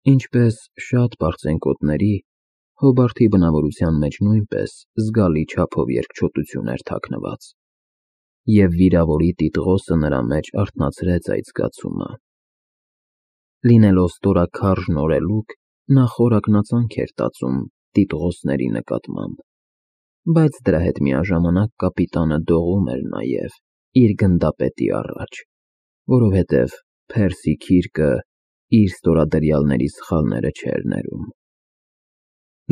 Ինչպես շատ պարծենկոտների, Հոբարթի բնավորության մեջ նույնպես զգալի չափով երկչոտություն էր թաքնված, և վիրավորի տիտղոսը նրա մեջ արթնացրեց այդ զգացումը։ Լինելով ստորաքարժ նորելուկ, նա խորակնածանք էր տածում տիտղոսների նկատմամբ, բայց դրա հետ միաժամանակ կապիտանը դողում էր նաև իր գնդապետի առաջ, որովհետև Փերսի Քիրկը իր ստորադրյալների սխալները չէր ներում։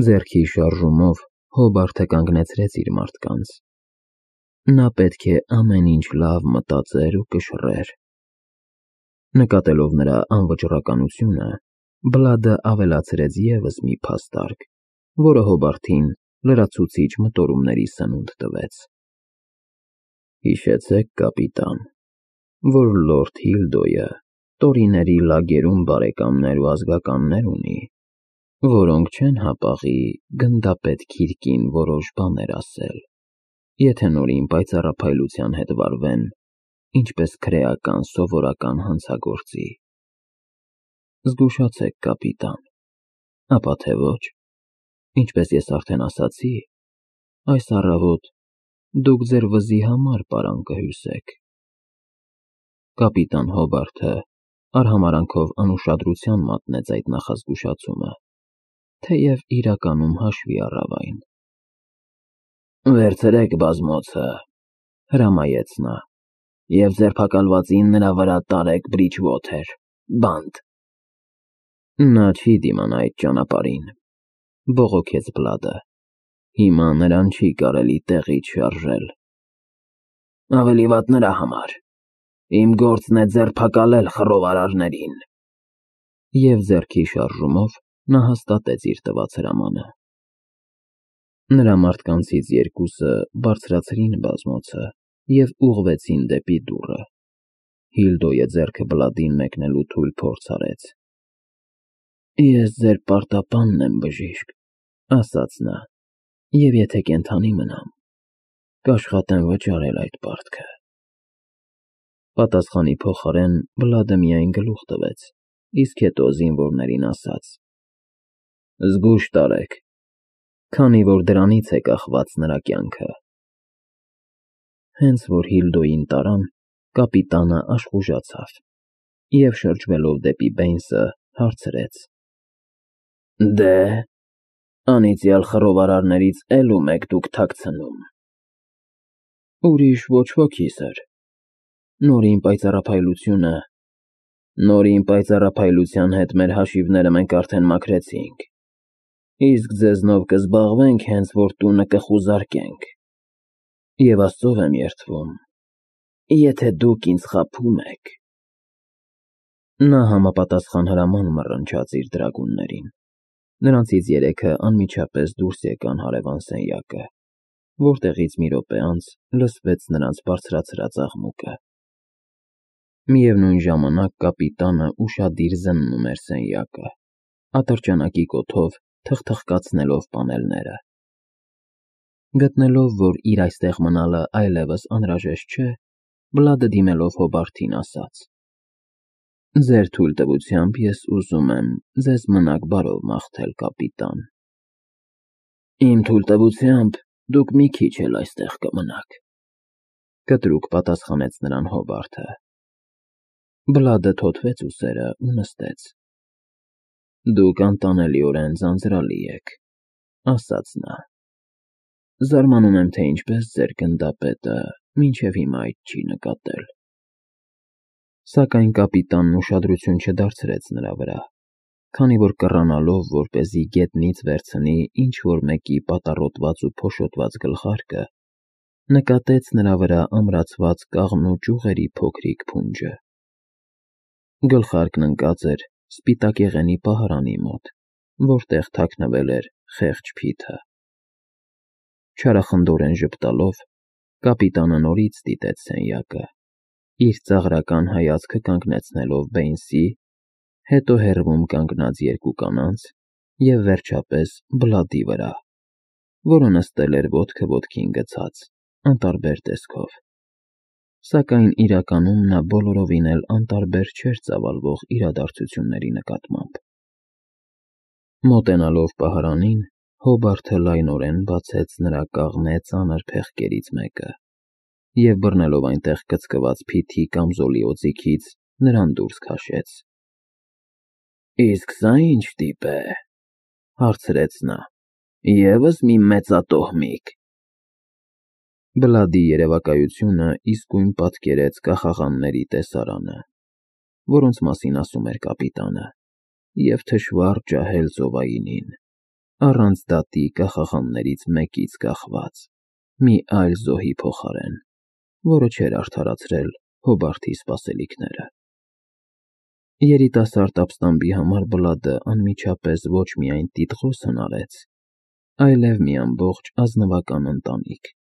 Ձեռքի շարժումով Հոբարթը կանգնեցրեց իր մարդկանց։ Նա պետք է ամեն ինչ լավ մտածեր ու կշռեր։ Նկատելով նրա անվճռականությունը, Բլադը ավելացրեց ևս մի փաստարկ, որը Հոբարթին լրացուցիչ մտորումների սնունդ տվեց։ Հիշեցեք, կապիտան, որ լորդ Հիլդոյը տորիների լագերում բարեկամներ ու ազգականներ ունի, որոնք չեն հապաղի գնդապետ Քիրկին որոշ բաներ ասել, եթե նորին պայծառափայլության հետ վարվեն, ինչպես քրեական սովորական հանցագործի։ Զգուշացեք, կապիտան, ապա թե ոչ, ինչպես ես արդեն ասացի, այս առավոտ դուք ձեր վզի համար պարան կհյուսեք։ Կապիտան Հոբարթը արհամարհանքով անուշադրության մատնեց այդ նախազգուշացումը, թեև իրականում հաշվի առավ այն։ Վերցրեք բազմոցը, հրամայեց նա, և ձերբակալվածին նրա վրա տարեք Բրիջվոթեր, բանտ։ Նա չի դիմանա այդ ճանապարհին, բողոքեց Բլադը, հիմա նրան չի կարելի տեղից շարժել։ Ավելի վատ նրա համար, իմ գործն է ձերբակալել խռովարարներին։ Եվ ձեռքի շարժումով նա հաստատեց իր տված հրամանը։ Նրա մարդկանցից երկուսը բարձրացրին բազմոցը և ուղղվեցին դեպի դուռը։ Հիլդոյը ձեռքը Բլադին մեկնելու թույլ փորձ արեց։ Ես ձեր պարտապանն եմ, բժիշկ, ասաց նա, և եթե կենդանի մնամ, կաշխատեմ վճարել այդ պարտքը։ Պատասխանի փոխարեն Բլադը միայն գլուխ տվեց, իսկ հետո զինվորներին ասաց. Զգույշ տարեք, քանի որ դրանից է կախված նրա կյանքը։ Հենց որ Հիլդոյին տարան, կապիտանը աշխուժացավ և շրջվելով դեպի Բեյնսը հարցրեց. Դե, անիծյալ խռովարարներից էլ ում եք դուք թաքցնում։ Ուրիշ ոչ ոքի, սըր, նորին պայծառափայլության հետ մեր հաշիվները մենք արդեն մաքրեցինք, իսկ ձեզնով կզբաղվենք, հենց որ տունը կխուզարկենք, և Աստծով եմ երդվում, եթե դուք ինձ խաբում եք։ Նա համապատասխան հրաման մռնչաց իր դրագուններին։ Նրանցից երեքը անմիջապես դուրս եկան հարևան սենյակը, որտեղից մի րոպե անց լսվեց նրանց բարձրացրած աղմուկը։ Միևնույն ժամանակ կապիտանը ուշադիր զննում էր սենյակը, ատրճանակի կոթով թխթխկացնելով պանելները։ Գտնելով, որ իր այստեղ մնալը այլևս անհրաժեշտ չէ, Բլադը դիմելով Հոբարթին ասաց. Ձեր թույլտվությամբ ես ուզում եմ ձեզ մնաք բարով մաղթել, կապիտան։ Իմ թույլտվությամբ դուք մի քիչ էլ այստեղ կմնաք, կտրուկ պատասխանեց նրան Հոբարթը։ Բլադը թոթվեց ուսերը ու նստեց։ Դուք անտանելիորեն ձանձրալի եք, ասաց նա։ Զարմանում եմ, թե ինչպես ձեր գնդապետը մինչև հիմա այդ չի նկատել։ Սակայն կապիտանն ուշադրություն չդարձրեց նրա վրա, քանի որ կռանալով, որպեսզի գետնից վերցնի ինչ-որ մեկի պատառոտված ու փոշոտված գլխարկը, նկատեց նրա վրա ամրացված կաղնու ճյուղերի փոքրիկ փունջը։ Գլխարկն ընկած էր սպիտակեղենի պահարանի մոտ, որտեղ թաքնվել էր խեղճ փիթը։ Չարախնդորեն ժպտալով, կապիտանը նորից դիտեց սենյակը, իր ծաղրական հայացքը կանգնեցնելով Բեյնսի, հետո հեռվում կանգնած երկու կանանց և վերջապես Բլադի վրա, որը նստել էր ոտքը ոտքին գցած, անտարբեր տեսքով։ Սակայն իրականում նա բոլորովին էլ անտարբեր չէր ծավալվող իրադարձությունների նկատմամբ։ Մոտենալով պահարանին, Հոբարթը լայնորեն բացեց նրա կաղնե ծանր փեղկերից մեկը և բռնելով այնտեղ գծկված փիթի կամզոլի օձիքից նրան դուրս քաշեց։ «Իսկ սա ի՞նչ տիպ է», հարցրեց նա։ «Եվս մի մեծատոհմիկ»։ Բլադի երևակայությունը իսկույն պատկերեց կախաղանների տեսարանը, որոնց մասին ասում էր կապիտանը, և թշվառ ջահել ծովայինին, առանց դատի կախաղաններից մեկից կախված, մի այլ զոհի փոխարեն, որը չէր արդարացրել Հոբարթի սպասելիքները։ Երիտասարդ ապստամբի համար Բլադը անմիջապես ոչ միայն տիտղոս հնարեց, այլև մի ամբողջ ազնվական ընտանիք։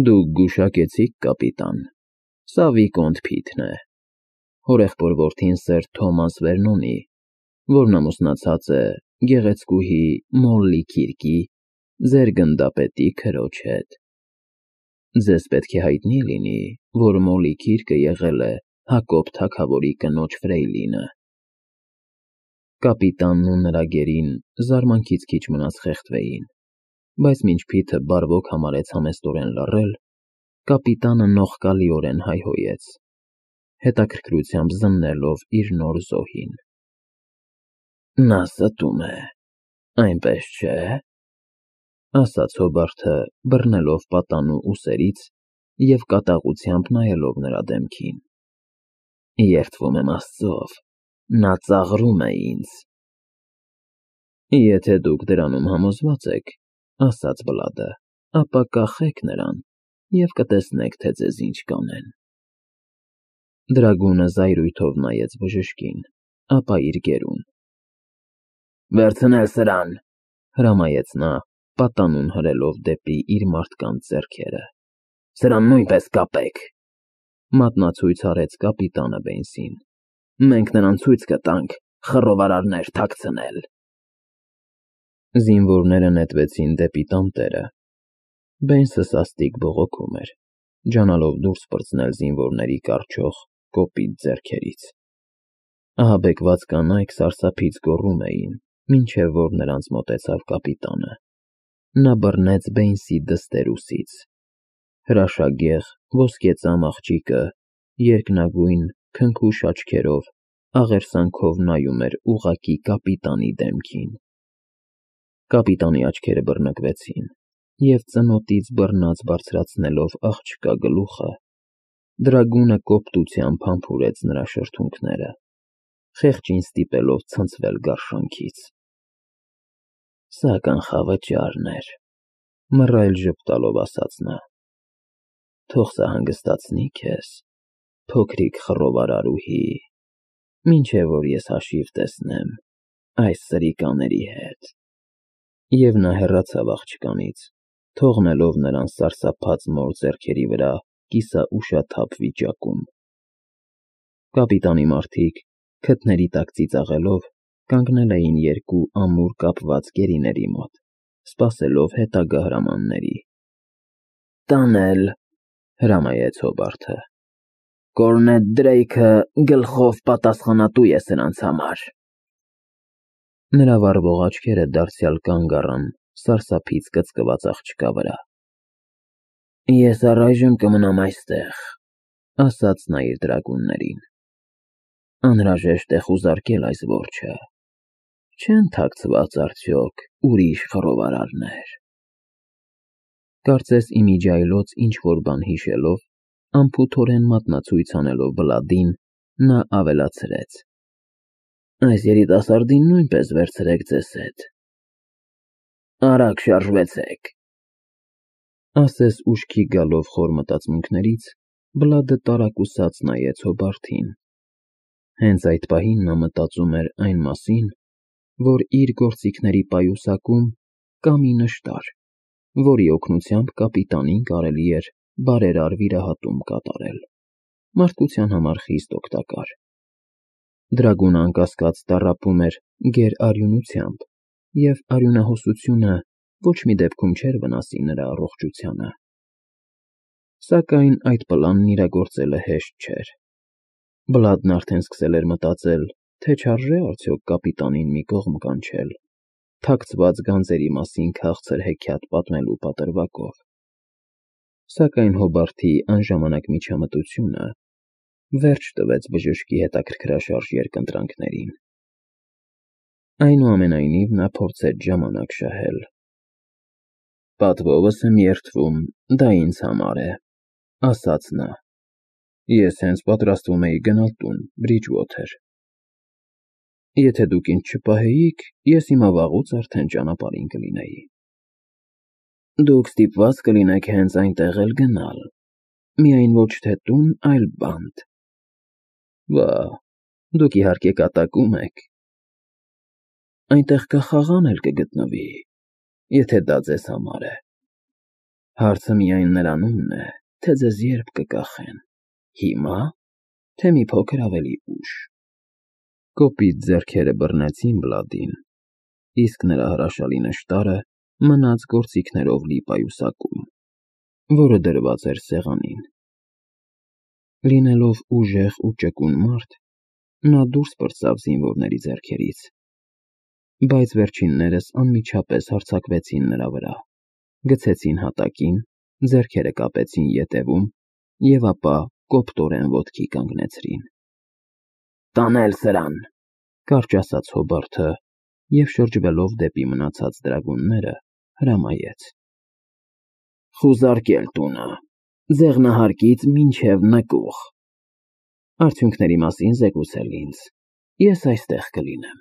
«Դուք գուշակեցիք, կապիտան, սա Վիկոնտ Փիթն է, հորեղբոր որդին Սեր Թոմաս Վերնոնի, որն ամուսնացած է գեղեցկուհի Մոլլի Քիրկի, ձեր գնդապետի քրոջ հետ։ Ձեզ պետք է հայտնի լինի, որ Մոլլի Քիրկը եղել է Հակոբ թագավորի կնոջ ֆրեյլինը»։ Կապիտանն ու նրա գերին զարմանքից քիչ մնաց խեղդվեին, բայց մինչ Փիթը բարվոք համարեց համեստորեն լռել, կապիտանը նողկալիորեն հայհոյեց, հետաքրքրությամբ զննելով իր նոր զոհին։ «Նա ստում է, այնպես չէ՞», ասաց Հոբարթը, բռնելով պատանու ուսերից և կատաղությամբ նայելով նրա դեմքին։ «Երդվում եմ Աստծով, նա ծաղրում է ինձ»։ «Եթե դուք դրանում համոզված եք, ասաց Բլադը, ապա կախեք նրան և կտեսնեք, թե ձեզ ինչ կանեն»։ Դրագունը զայրույթով նայեց բժշկին, ապա իր գերուն։ «Վերցնել սրան», հրամայեց նա, պատանուն հրելով դեպի իր մարդկանց ձեռքերը։ «Սրան նույնպես կապեք», մատնացույց արեց կապիտանը Բեյնսին։ «Մենք նրան ցույց կտանք խռովարարներ թաքցնել»։ Զինվորները նետվեցին դեպի տանտերը։ Բեյնսը սաստիկ բողոքում էր, ջանալով դուրս պրծնել զինվորների կառչող, կոպիտ ձեռքերից։ Ահաբեկված կանայք սարսափից գոռում էին, մինչև որ նրանց մոտեցավ կապիտանը։ Նա բռնեց Բեյնսի դստեր֊ուսից։ Հրաշագեղ, ոսկեծամ աղջիկը երկնագույն, քնքուշ աչքերով, աղերսանքով նայում էր ուղղակի կապիտանի դեմքին։ Կապիտանի աչքերը բռնկվեցին, և ծնոտից բռնած բարձրացնելով աղջկա գլուխը, դրագունը կոպտությամբ համբուրեց նրա շրթունքները, խեղճին ստիպելով ցնցվել գարշանքից։ «Սա կանխավճարն էր», մռայլ ժպտալով ասաց նա։ «Թող սա հանգստացնի քեզ, փոքրիկ խռովարարուհի, մինչև որ ես հաշիվ տեսնեմ այս սրիկաների հետ»։ Եվ նա հեռացավ աղջկանից, թողնելով նրան սարսափած մոր ձեռքերի վրա կիսաուշաթափ վիճակում։ Կապիտանի մարդիկ, քթների տակ ծիծաղելով, կանգնել էին երկու ամուր կապված գերիների մոտ, սպասելով հետագա հրամանների։ «Տանել», հրամայեց Հոբարթը։ «Կորնետ Դրեյքը գլխով պատասխանատու է սրանց համար»։ Նրա վառվող աչքերը դարձյալ կանգ առան սարսափից կծկված աղջկա վրա։ «Ես առայժմ կմնամ այստեղ», ասաց նա իր դրագուններին։ «Անհրաժեշտ է խուզարկել այս որջը։ Չեն թաքցված արդյոք ուրիշ խռովարարներ»։ Կարծես իմիջիայլոց ինչ-որ բան հիշելով, անփութորեն մատնացույց անելով Բլադին, նա ավելացրեց. «Այս երիտասարդին նույնպես վերցրեք ձեզ հետ։ Արագ շարժվեցեք»։ Ասես ուշքի գալով խոր մտածմունքներից, Բլադը տարակուսած նայեց Հոբարթին։ Հենց այդ պահին նա մտածում էր այն մասին, որ իր գործիքների պայուսակում կա մի նշտար, որի օգնությամբ կապիտանին կարելի էր բարերար վիրահատում կատարել, մարդկության համար խիստ օգտակար։ Դրագունը անկասկած տառապում էր գերարյունությամբ, և արյունահոսությունը ոչ մի դեպքում չէր վնասի նրա առողջությանը։ Սակայն այդ պլանն իրագործելը հեշտ չէր։ Բլադն արդեն սկսել էր մտածել, թե չարժե արդյոք կապիտանին մի կողմ կանչել, թաքցված գանձերի մասին քաղցր հեքիաթ պատմելու պատրվակով։ Սակայն Հոբարթի անժամանակ միջամտությունը վերջ տվեց բժշկի հետաքրքրաշարժ երկընտրանքներին։ Այնուամենայնիվ նա փորձեց ժամանակ շահել։ «Պատվովս եմ երդվում, դա ինձ համար է», ասաց նա։ «Ես հենց պատրաստվում էի գնալ տուն, Բրիջվոթեր։ Եթե դուք ինձ չպահեիք, ես հիմա վաղուց արդեն ճանապարհին կլինեի»։ «Դուք ստիպված կլինեք հենց այնտեղ էլ գնալ, միայն ոչ թե տուն, այլ բանտ»։ «Վա, դուք իհարկե կատակում եք։ Այնտեղ կախաղան էլ կգտնվի, եթե դա ձեզ համար է։ Հարցը միայն նրանումն է, թե ձեզ երբ կկախեն, հիմա, թե մի փոքր ավելի ուշ»։ Կոպիտ ձեռքերը բռնեցին Բլադին, իսկ նրա հրաշալի նշտարը մնաց գործիքներով լի պայուսակում, որը դրված էր սեղանին։ Լինելով ուժեղ ու ճկուն մարդ, նա դուրս պրծավ զինվորների ձեռքերից, բայց վերջիններս անմիջապես հարձակվեցին նրա վրա, գցեցին հատակին, ձեռքերը կապեցին ետևում և ապա կոպտորեն ոտքի կանգնեցրին։ «Տանել սրան», կարճ ասաց Հոբարթը և շրջվելով դեպի մնացած դրագունները, հրամայեց. «Խուզարկել տունը, ձեղնահարկից մինչև նկուղ։ Արդյունքների մասին զեկուցել ինձ, ես այստեղ կլինեմ»։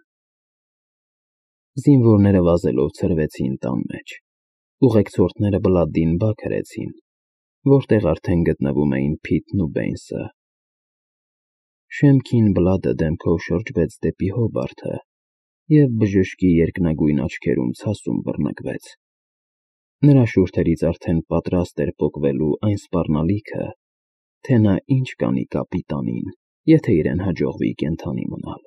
Զինվորները վազելով ցրվեցին տան մեջ, ուղեկցորդները Բլադին բակ հրեցին, որտեղ արդեն գտնվում էին Փիթն ու Բեյնսը։ Շեմքին Բլադը դեմքով շրջվեց դեպի Հոբարթը և բժշկի երկնագույն աչքերում ցասում բռնկվեց։ Նրա շուրթերից արդեն պատրաստ էր պոկվելու այն սպառնալիքը, թե նա ինչ կանի կապիտանին, եթե իրեն հաջողվի կենդանի մնալ։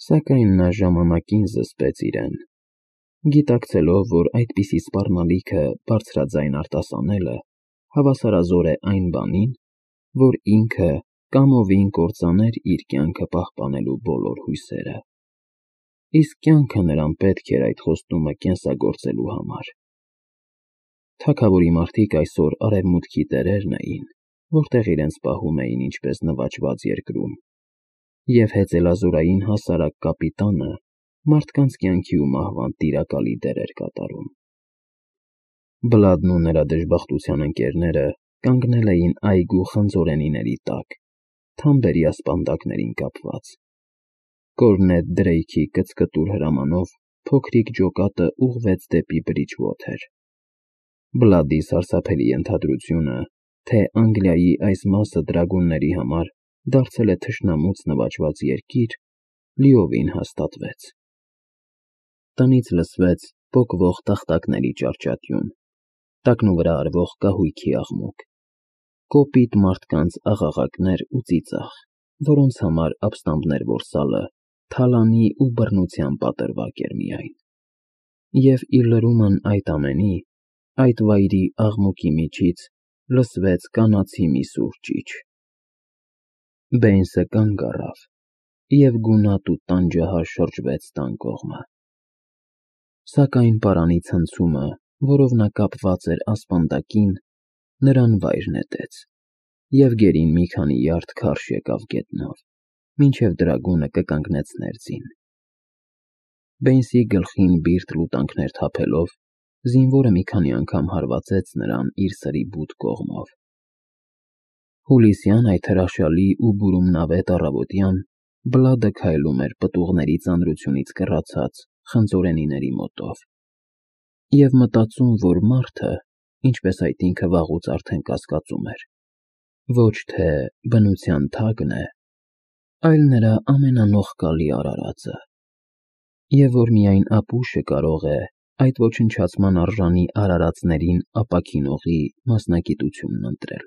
Սակայն նա ժամանակին զսպեց իրեն, գիտակցելով, որ այդպիսի սպառնալիքը բարձրաձայն արտասանելը հավասարազոր է այն բանին, որ ինքը կամովին կործաներ իր կյանքը պահպանելու բոլոր հույսերը, իսկ կյանքը նրան պետք էր այդ խոստումը կենսագործելու համար։ Թագավորի մարդիկ այսօր արևմուտքի տերերն էին, որտեղ իրենց պահում էին ինչպես նվաճված երկրում, և հեծելազորային հասարակ կապիտանը մարդկանց կյանքի ու մահվան տիրակալի դեր էր կատարում։ Բլադն ու նրա դժբախտության ընկերները կանգնել էին այգու խնձորենիների տակ, թամբերի ասպանդակներին կապված։ Կորնետ Դրեյքի կծկտուր հրամանով փոքրիկ ջոկատը ուղղվեց դեպի Բրիջվոթեր։ Բլադի սարսափելի ենթադրությունը, թե Անգլիայի այս մասը դրագունների համար դարձել է թշնամուց նվաճված երկիր, լիովին հաստատվեց։ Տնից լսվեց պոկվող տախտակների ճարճատյուն, տակնուվրա արվող կահույքի աղմուկ, կոպիտ մարդկանց աղաղակներ ու ծիծաղ, որոնց համար ապստամբներ որսալը թալանի ու բռնության պատրվակ էր միայն։ Եվ ի լրումն այդ ամենի, այդ վայրի աղմուկի միջից լսվեց կանացի մի սուր ճիչ։ Բեյնսը կանգ առավ, և գունատ ու տանջահար շրջվեց տան կողմը։ Սակայն պարանի ցնցումը, որով նա կապված էր ասպանդակին, նրան վայր նետեց, և գերին մի քանի յարդ քարշ եկավ գետնով, մինչև դրագունը կկանգնեցներ ձին։ Բեյնսի գլխին բիրտ լուտանքներ թափելով, զինվորը մի քանի անգամ հարվածեց նրան իր սրի բութ կողմով։ Հուլիսյան այդ հրաշալի ու բուրումնավետ առավոտյան Բլադը քայլում էր պտուղների ծանրությունից կռացած խնձորենիների մոտով և մտածում, որ մարդը, ինչպես այդ ինքը վաղուց արդեն կասկածում էր, ոչ թե բնության թագն է, այլ նրա ամենանողկալի արարածը, և որ միայն ապուշը կարող է այդ ոչնչացման արժանի արարածներին ապաքինողի մասնագիտությունն ընտրել։